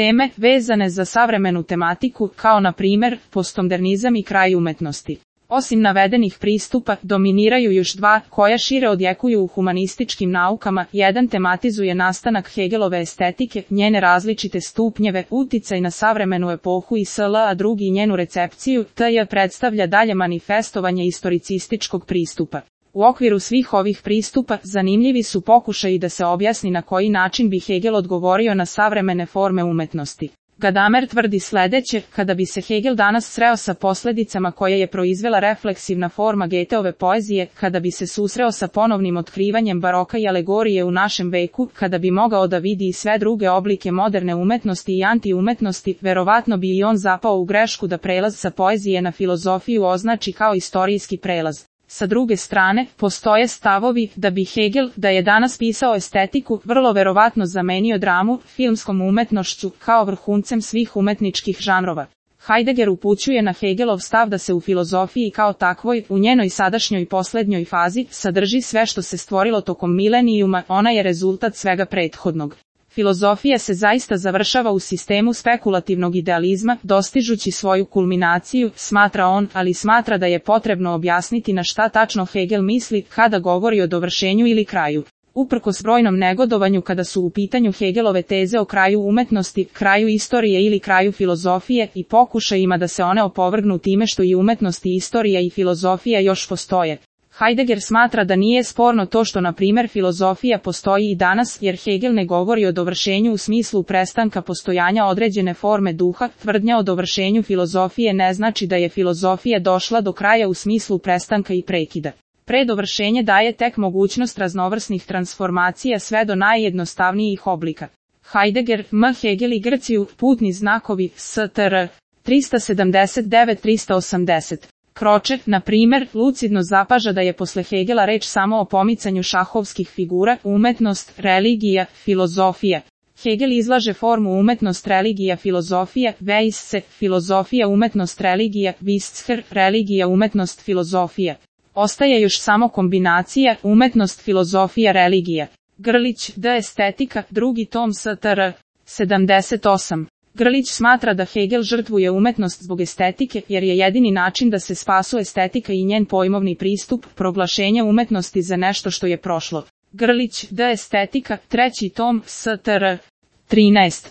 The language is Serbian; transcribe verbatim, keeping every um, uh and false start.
Teme vezane za savremenu tematiku, kao na primjer postmodernizam i kraj umetnosti. Osim navedenih pristupa, dominiraju još dva, koja šire odjekuju u humanističkim naukama. Jedan tematizuje nastanak Hegelove estetike, njene različite stupnjeve, uticaj na savremenu epohu i sl., a drugi njenu recepciju, tj. predstavlja dalje manifestovanje istoricističkog pristupa. U okviru svih ovih pristupa, zanimljivi su pokušaji da se objasni na koji način bi Hegel odgovorio na savremene forme umetnosti. Gadamer tvrdi sledeće: kada bi se Hegel danas sreo sa posledicama koje je proizvela refleksivna forma Goetheove poezije, kada bi se susreo sa ponovnim otkrivanjem baroka i alegorije u našem veku, kada bi mogao da vidi i sve druge oblike moderne umetnosti i antiumetnosti, verovatno bi i on zapao u grešku da prelaz sa poezije na filozofiju označi kao istorijski prelaz. Sa druge strane, postoje stavovi da bi Hegel, da je danas pisao estetiku, vrlo verovatno zamenio dramu filmskom umetnošću kao vrhuncem svih umetničkih žanrova. Heidegger upućuje na Hegelov stav da se u filozofiji kao takvoj, u njenoj sadašnjoj i poslednjoj fazi, sadrži sve što se stvorilo tokom milenijuma, ona je rezultat svega prethodnog. Filozofija se zaista završava u sistemu spekulativnog idealizma, dostižući svoju kulminaciju, smatra on, ali smatra da je potrebno objasniti na šta tačno Hegel misli kada govori o dovršenju ili kraju. Uprkos brojnom negodovanju kada su u pitanju Hegelove teze o kraju umetnosti, kraju istorije ili kraju filozofije i pokušajima da se one opovrgnu time što i umetnost i istorija i filozofija još postoje. Heidegger smatra da nije sporno to što na primjer filozofija postoji i danas, jer Hegel ne govori o dovršenju u smislu prestanka postojanja određene forme duha. Tvrdnja o dovršenju filozofije ne znači da je filozofija došla do kraja u smislu prestanka i prekida. Predovršenje daje tek mogućnost raznovrsnih transformacija sve do najjednostavnijih oblika. Heidegger, M. Hegel i Grciju, putni znakovi, S T R, tristo sedamdeset devet do tristo osamdeset. Kroče, na primjer, lucidno zapaža da je posle Hegela reč samo o pomicanju šahovskih figura, umetnost, religija, filozofija. Hegel izlaže formu umetnost, religija, filozofija, Weisse, filozofija, umetnost, religija, Wischer, religija, umetnost, filozofija. Ostaje još samo kombinacija, umetnost, filozofija, religija. Grlić, D. Estetika, drugi tom, S T R, sedamdeset osam. Grlić smatra da Hegel žrtvuje umetnost zbog estetike, jer je jedini način da se spasu estetika i njen pojmovni pristup, proglašenje umetnosti za nešto što je prošlo. Grlić, D. Estetika, treći tom, S T R, trinaest.